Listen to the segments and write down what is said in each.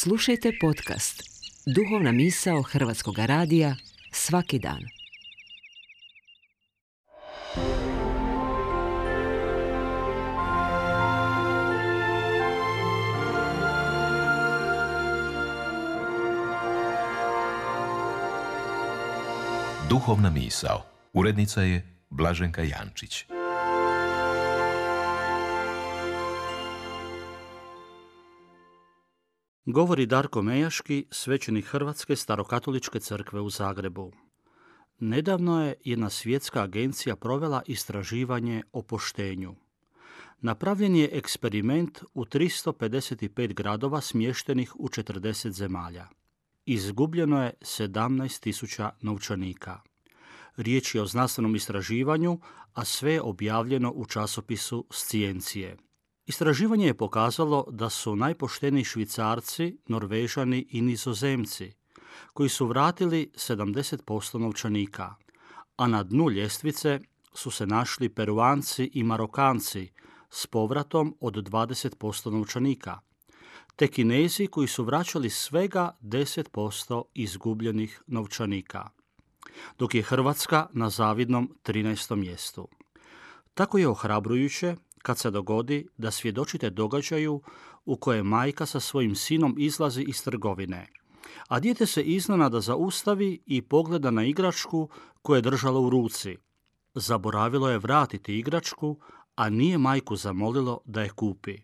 Slušajte podcast Duhovna misao Hrvatskog radija svaki dan. Duhovna misao. Urednica je Blaženka Jančić. Govori Darko Mejaški, svećenik Hrvatske starokatoličke crkve u Zagrebu. Nedavno je jedna svjetska agencija provela istraživanje o poštenju. Napravljen je eksperiment u 355 gradova smještenih u 40 zemalja. Izgubljeno je 17.000 novčanika. Riječ je o znanstvenom istraživanju, a sve je objavljeno u časopisu Sciencije. Istraživanje je pokazalo da su najpošteniji Švicarci, Norvežani i Nizozemci, koji su vratili 70% novčanika, a na dnu ljestvice su se našli Peruanci i Marokanci s povratom od 20% novčanika, te Kinezi koji su vraćali svega 10% izgubljenih novčanika, dok je Hrvatska na zavidnom 13. mjestu. Tako je ohrabrujuće kad se dogodi da svjedočite događaju u kojem majka sa svojim sinom izlazi iz trgovine, a dijete se iznenada zaustavi i pogleda na igračku koju je držalo u ruci. Zaboravilo je vratiti igračku, a nije majku zamolilo da je kupi.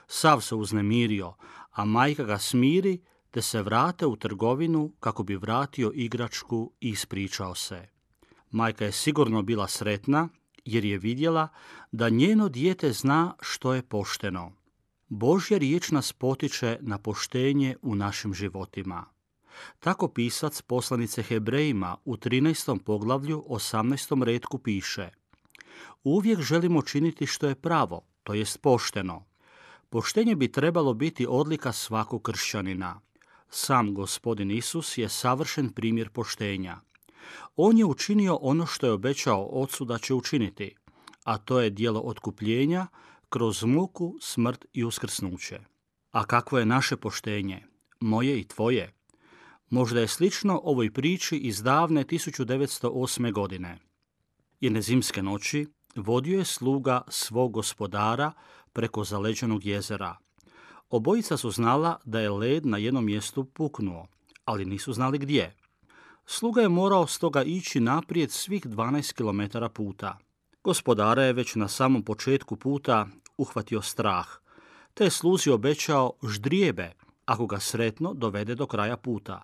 Sav se uznemirio, a majka ga smiri te se vrate u trgovinu kako bi vratio igračku i ispričao se. Majka je sigurno bila sretna jer je vidjela da njeno dijete zna što je pošteno. Božja riječ nas potiče na poštenje u našim životima. Tako pisac poslanice Hebrejima u 13. poglavlju 18. retku piše: uvijek želimo činiti što je pravo, to jest pošteno. Poštenje bi trebalo biti odlika svakog kršćanina. Sam Gospodin Isus je savršen primjer poštenja. On je učinio ono što je obećao Ocu da će učiniti, a to je djelo otkupljenja kroz muku, smrt i uskrsnuće. A kakvo je naše poštenje, moje i tvoje? Možda je slično ovoj priči iz davne 1908. godine. Jedne zimske noći vodio je sluga svog gospodara preko zaleđenog jezera. Obojica su znala da je led na jednom mjestu puknuo, ali nisu znali gdje. Sluga je morao stoga ići naprijed svih 12 km puta. Gospodara je već na samom početku puta uhvatio strah, te je sluzi obećao ždrijebe ako ga sretno dovede do kraja puta.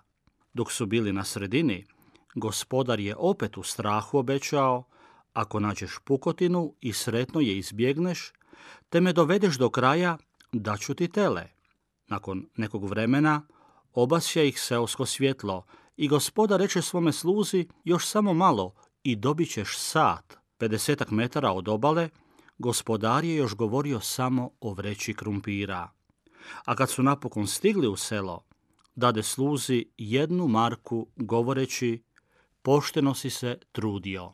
Dok su bili na sredini, gospodar je opet u strahu obećao: ako nađeš pukotinu i sretno je izbjegneš, te me dovedeš do kraja, daću ti tele. Nakon nekog vremena obasja ih seosko svjetlo i gospodar reče svome sluzi: još samo malo i dobit ćeš sat. 50 metara od obale gospodar je još govorio samo o vreći krumpira. A kad su napokon stigli u selo, dade sluzi 1 marku govoreći: pošteno si se trudio.